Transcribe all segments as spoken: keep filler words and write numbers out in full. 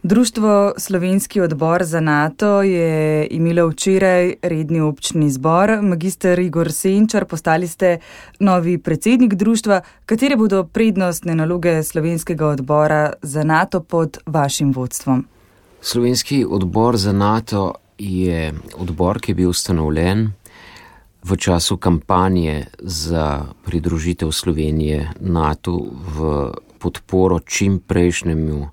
Društvo Slovenski odbor za NATO je imelo včeraj redni občni zbor. Magister Igor Senčar, postali ste novi predsednik društva. Katere bodo prednostne naloge Slovenskega odbora za NATO pod vašim vodstvom? Slovenski odbor za NATO je odbor, ki je bil ustanovljen v času kampanje za pridružitev Slovenije NATO v podporo čim prejšnjemu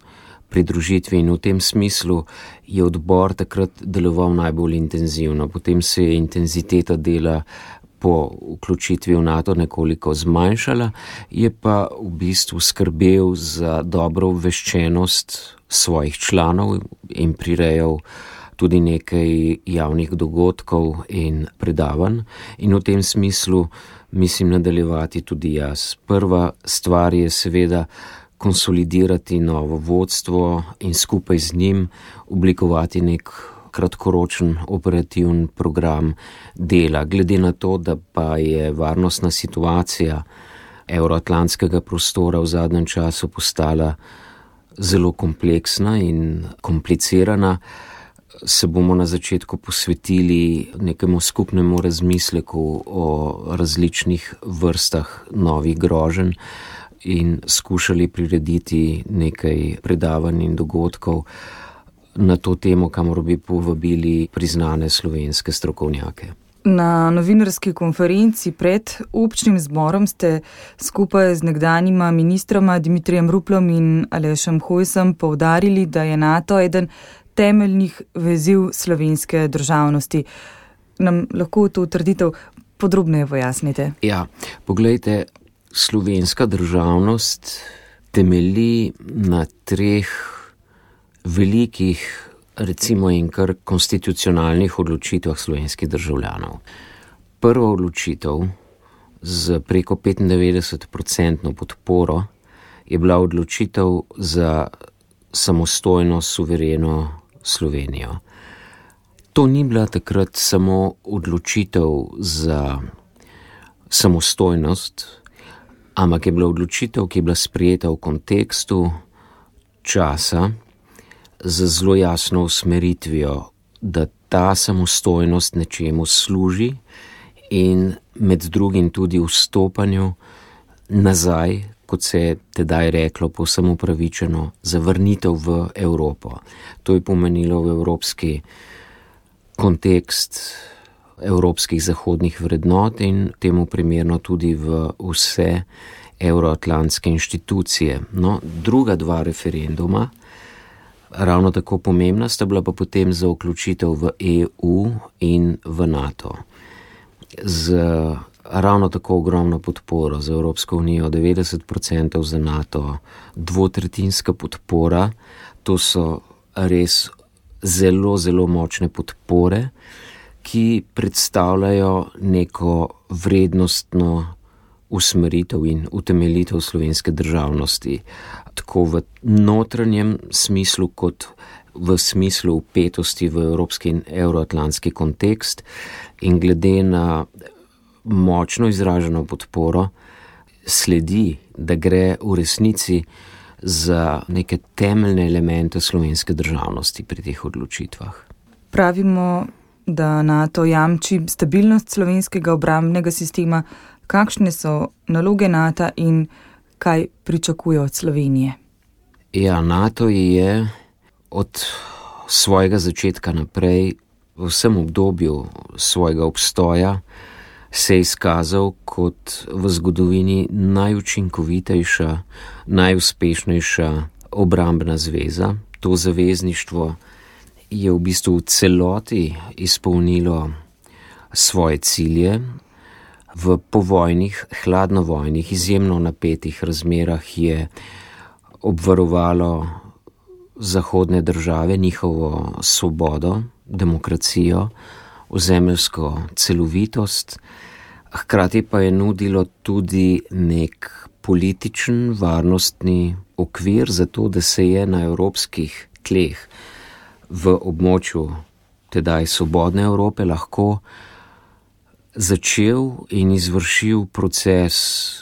pridružitvi, in v tem smislu je odbor takrat deloval najbolj intenzivno. Potem se je intenziteta dela po vključitvi v NATO nekoliko zmanjšala, je pa v bistvu skrbel za dobro obveščenost svojih članov in prirejal tudi nekaj javnih dogodkov in predavanj, in v tem smislu mislim nadaljevati tudi jaz. Prva stvar je seveda konsolidirati novo vodstvo in skupaj z njim oblikovati nek kratkoročen operativen program dela. Glede na to, da pa je varnostna situacija evroatlantskega prostora v zadnjem času postala zelo kompleksna in komplicirana, se bomo na začetku posvetili nekemu skupnemu razmisleku o različnih vrstah novih groženj in skušali prirediti nekaj predavanj in dogodkov na to temo, kamor bi povabili priznane slovenske strokovnjake. Na novinarski konferenci pred občnim zborom ste skupaj z nekdanjima ministroma Dimitrijem Ruplom in Alešem Hojsom poudarili, da je NATO eden temeljnih veziv slovenske državnosti. Nam lahko to trditev podrobneje pojasnite? Ja, poglejte, slovenska državnost temelji na treh velikih, recimo in kar konstitucionalnih odločitvah slovenskih državljanov. Prva odločitev z preko petindevetdeset procentno podporo je bila odločitev za samostojno, suvereno Slovenijo. To ni bila takrat samo odločitev za samostojnost, ampak je bila odločitev, ki je bila sprejeta v kontekstu časa z zelo jasno usmeritvijo, da ta samostojnost nečemu služi in med drugim tudi vstopanju nazaj, kot se je tedaj reklo, povsem upravičeno, zavrnitev v Evropo. To je pomenilo v evropski kontekst evropskih zahodnih vrednot in temu primerno tudi v vse evroatlantske inštitucije. No, druga dva referenduma, ravno tako pomembna, sta bila pa potem za vključitev v E U in v NATO. Z ravno tako ogromno podporo za Evropsko unijo, devetdeset procentov za NATO, dvotretjinska podpora, to so res zelo, zelo močne podpore, ki predstavljajo neko vrednostno usmeritev in utemeljitev slovenske državnosti, tako v notranjem smislu kot v smislu vpetosti v evropski in evroatlantski kontekst, in glede na močno izraženo podporo sledi, da gre v resnici za neke temeljne elemente slovenske državnosti pri teh odločitvah. Pravimo, da NATO jamči stabilnost slovenskega obrambnega sistema. Kakšne so naloge NATO in kaj pričakuje od Slovenije? Ja, NATO je od svojega začetka naprej v vsem obdobju svojega obstoja se je izkazal kot v zgodovini najučinkovitejša, najuspešnejša obrambna zveza. To zavezništvo je v bistvu v celoti izpolnilo svoje cilje. V povojnih, hladnovojnih, izjemno napetih razmerah je obvarovalo zahodne države, njihovo svobodo, demokracijo, ozemeljsko celovitost, hkrati pa je nudilo tudi nek političen, varnostni okvir za to, da se je na evropskih tleh v območju tedaj svobodne Evrope lahko začel in izvršil proces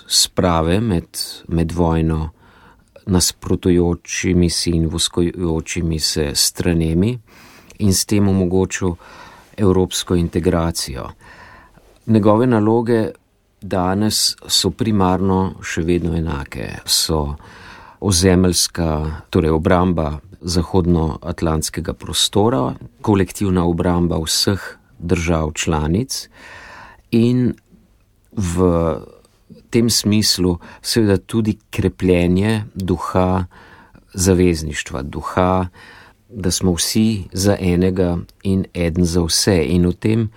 sprave med, med vojno nasprotujočimi si in voskojočimi se stranemi in s tem omogočil evropsko integracijo. Njegove naloge danes so primarno še vedno enake. So ozemeljska, torej obramba zahodnoatlantskega prostora, kolektivna obramba vseh držav članic in v tem smislu seveda tudi krepljenje duha zavezništva, duha, da smo vsi za enega in eden za vse. In v tem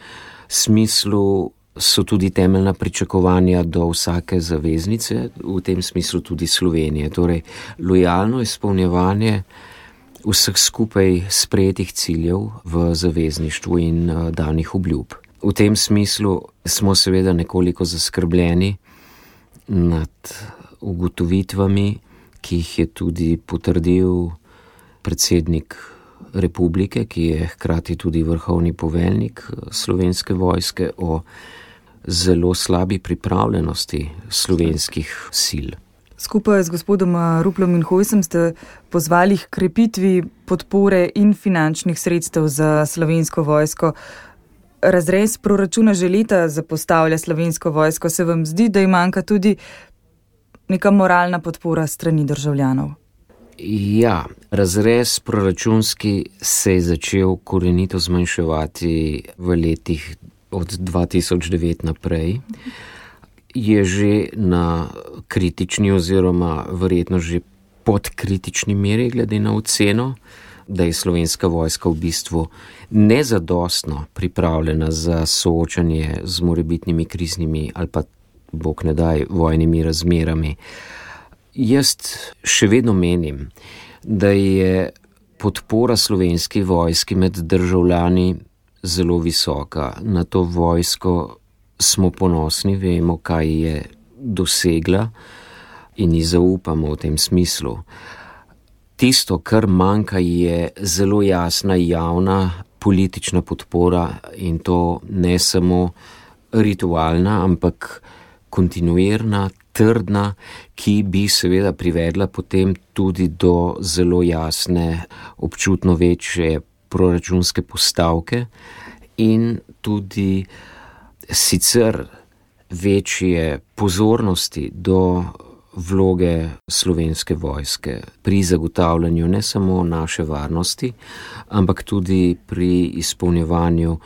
smislu so tudi temeljna pričakovanja do vsake zaveznice, v tem smislu tudi Slovenije. Torej, lojalno izpolnjevanje vseh skupaj sprejetih ciljev v zavezništvu in uh, danih obljub. V tem smislu smo seveda nekoliko zaskrbljeni nad ugotovitvami, ki jih je tudi potrdil predsednik republike, ki je hkrati tudi vrhovni poveljnik Slovenske vojske, o zelo slabi pripravljenosti slovenskih sil. Skupaj z gospodom Ruplom in Hojsom ste pozvali k krepitvi podpore in finančnih sredstev za Slovensko vojsko. Razrez proračuna že leta zapostavlja Slovensko vojsko. Se vam zdi, da ji manjka tudi neka moralna podpora strani državljanov? Ja, razrez proračunski se je začel korenito zmanjševati v letih od dva tisoč devet naprej. Je že na kritični oziroma verjetno že pod kritični meri glede na oceno, da je Slovenska vojska v bistvu nezadostno pripravljena za soočanje z morebitnimi kriznimi ali pa, bog ne daj, vojnimi razmerami. Jaz še vedno menim, da je podpora Slovenski vojski med državljani zelo visoka. Na to vojsko smo ponosni, vemo, kaj je dosegla in ji zaupamo v tem smislu. Tisto, kar manjka, je zelo jasna javna politična podpora in to ne samo ritualna, ampak kontinuirna, trdna, ki bi seveda privedla potem tudi do zelo jasne, občutno večje proračunske postavke in tudi sicer večje pozornosti do vloge Slovenske vojske pri zagotavljanju ne samo naše varnosti, ampak tudi pri izpolnjevanju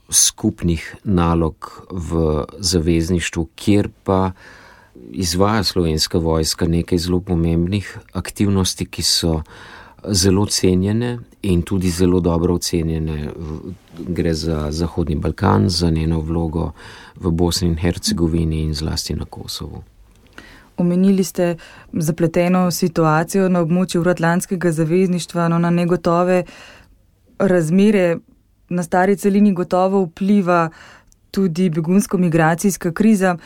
skupnih nalog v zavezništvu, kjer pa izvaja Slovenska vojska nekaj zelo pomembnih aktivnosti, ki so zelo cenjene in tudi zelo dobro ocenjene. Gre za Zahodni Balkan, za njeno vlogo v Bosni in Hercegovini in zlasti na Kosovu. Omenili ste zapleteno situacijo na območju Evroatlantskega zavezništva, no na negotove razmere na stari celini gotovo vpliva tudi begunsko-migracijska kriza.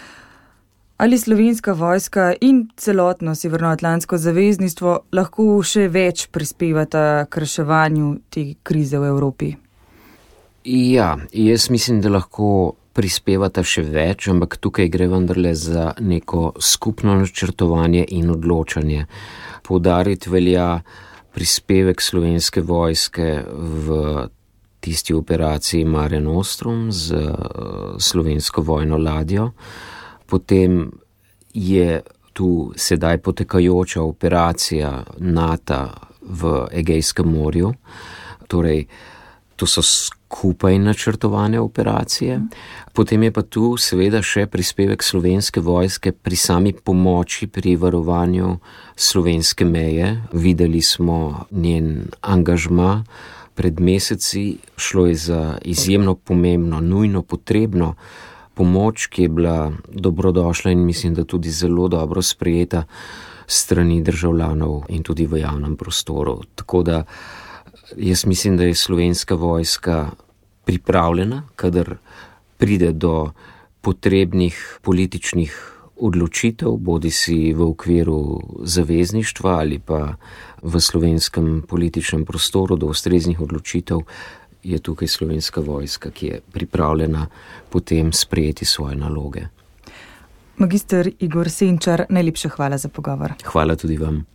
Ali Slovenska vojska in celotno Severnoatlantsko zavezništvo lahko še več prispevata k reševanju te krize v Evropi? Ja, jaz mislim, da lahko prispevata še več, ampak tukaj gre vendarle za neko skupno načrtovanje in odločanje. Poudariti velja prispevek Slovenske vojske v tisti operaciji Mare Nostrum z slovensko vojno ladjo. Potem je tu sedaj potekajoča operacija NATO v Egejskem morju. Torej, to so skupaj načrtovane operacije. Potem je pa tu seveda še prispevek Slovenske vojske pri sami pomoči pri varovanju slovenske meje. Videli smo njen angažma pred meseci. Šlo je za izjemno pomembno, nujno potrebno pomoč, ki je bila dobrodošla in mislim, da tudi zelo dobro sprejeta strani državljanov in tudi v javnem prostoru. Tako da jaz mislim, da je Slovenska vojska pripravljena, kadar pride do potrebnih političnih odločitev, bodi si v okviru zavezništva ali pa v slovenskem političnem prostoru do ustreznih odločitev, je tukaj Slovenska vojska, ki je pripravljena potem sprejeti svoje naloge. Magister Igor Senčar, najlepša hvala za pogovor. Hvala tudi vam.